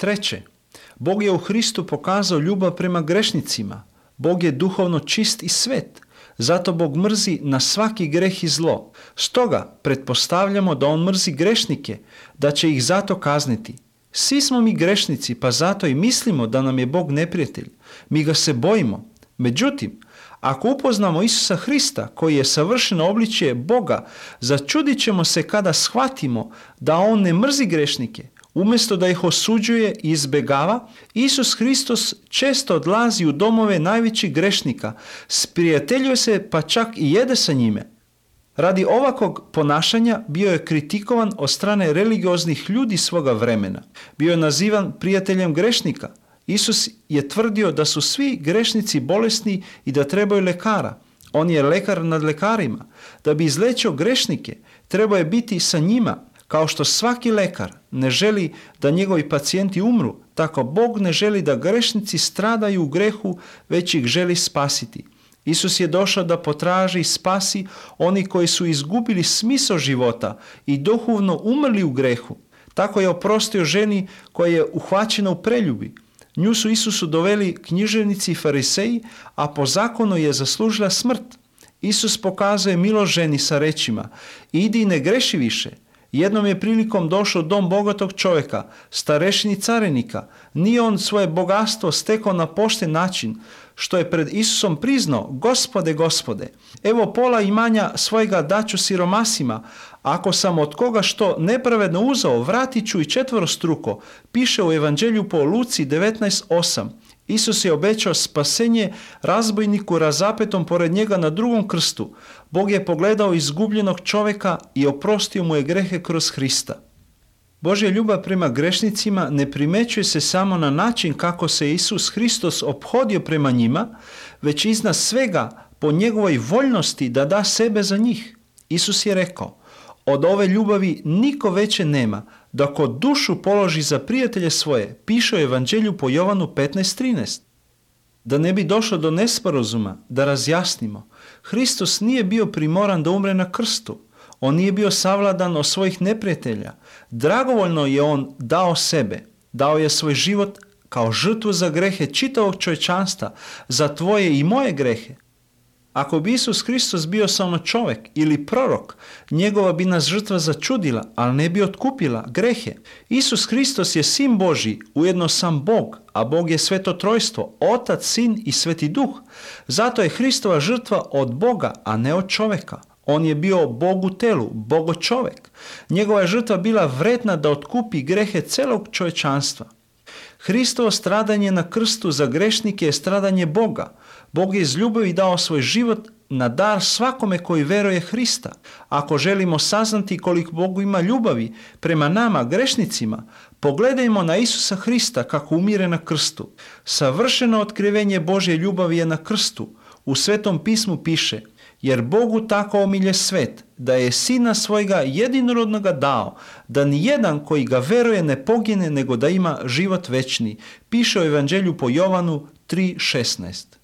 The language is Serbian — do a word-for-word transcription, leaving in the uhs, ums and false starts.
Treće, Bog je u Hristu pokazao ljubav prema grešnicima. Bog je duhovno čist i svet. Zato Bog mrzi na svaki greh i zlo. Stoga pretpostavljamo da on mrzi grešnike, da će ih zato kazniti. Svi smo mi grešnici, pa zato i mislimo da nam je Bog neprijatelj. Mi ga se bojimo. Međutim, ako upoznamo Isusa Hrista, koji je savršeno obličje Boga, začudit ćemo se kada shvatimo da on ne mrzi grešnike. Umjesto da ih osuđuje i izbegava, Isus Hristos često odlazi u domove najvećih grešnika, sprijateljuje se pa čak i jede sa njime. Radi ovakvog ponašanja bio je kritikovan od strane religioznih ljudi svoga vremena. Bio je nazivan prijateljem grešnika. Isus je tvrdio da su svi grešnici bolesni i da trebaju lekara. On je lekar nad lekarima. Da bi izlečio grešnike, trebao je biti sa njima. Kao što svaki lekar ne želi da njegovi pacijenti umru, tako Bog ne želi da grešnici stradaju u grehu, već ih želi spasiti. Isus je došao da potraži i spasi oni koji su izgubili smisao života i duhovno umrli u grehu. Tako je oprostio ženi koja je uhvaćena u preljubi. Nju su Isusu doveli književnici i fariseji, a po zakonu je zaslužila smrt. Isus pokazuje milost ženi sa rečima: idi i ne greši više. Jednom je prilikom došao dom bogatog čovjeka, starešini carinika. Nije on svoje bogatstvo stekao na pošten način, što je pred Isusom priznao: Gospode, Gospode, evo pola imanja svojega daću siromasima. Ako sam od koga što nepravedno uzeo, vratit ću i četvorostruko. Piše u Evanđelju po Luci devetnaest osam. Isus je obećao spasenje razbojniku razapetom pored njega na drugom krstu. Bog je pogledao izgubljenog čovjeka i oprostio mu je grehe kroz Hrista. Božja ljubav prema grešnicima ne primećuje se samo na način kako se Isus Hristos ophodio prema njima, već iznad svega po njegovoj voljnosti da da sebe za njih. Isus je rekao: od ove ljubavi niko veće nema, da ko dušu položi za prijatelje svoje, piše u Evanđelju po Jovanu petnaest trinaest. Da ne bi došlo do nesporazuma, da razjasnimo, Hristos nije bio primoran da umre na krstu. On nije bio savladan od svojih neprijatelja. Dragovoljno je on dao sebe, dao je svoj život kao žrtvu za grehe čitavog čovječanstva, za tvoje i moje grehe. Ako bi Isus Hristos bio samo čovjek ili prorok, njegova bi nas žrtva začudila, ali ne bi otkupila grehe. Isus Hristos je Sin Božji, ujedno sam Bog, a Bog je sveto trojstvo, Otac, Sin i Sveti Duh. Zato je Hristova žrtva od Boga, a ne od čovjeka. On je bio Bog u telu, Bogo čovjek. Njegova je žrtva bila vredna da otkupi grehe celog čovječanstva. Hristovo stradanje na krstu za grešnike je stradanje Boga. Bog je iz ljubavi dao svoj život na dar svakome koji veruje Hrista. Ako želimo saznati koliko Bogu ima ljubavi prema nama, grešnicima, pogledajmo na Isusa Hrista kako umire na krstu. Savršeno otkrivenje Božje ljubavi je na krstu. U Svetom pismu piše: jer Bogu tako omilje svet, da je Sina svojega jedinorodnoga dao, da nijedan koji ga veruje ne pogine, nego da ima život večni. Piše u Evanđelju po Jovanu tri šesnaest.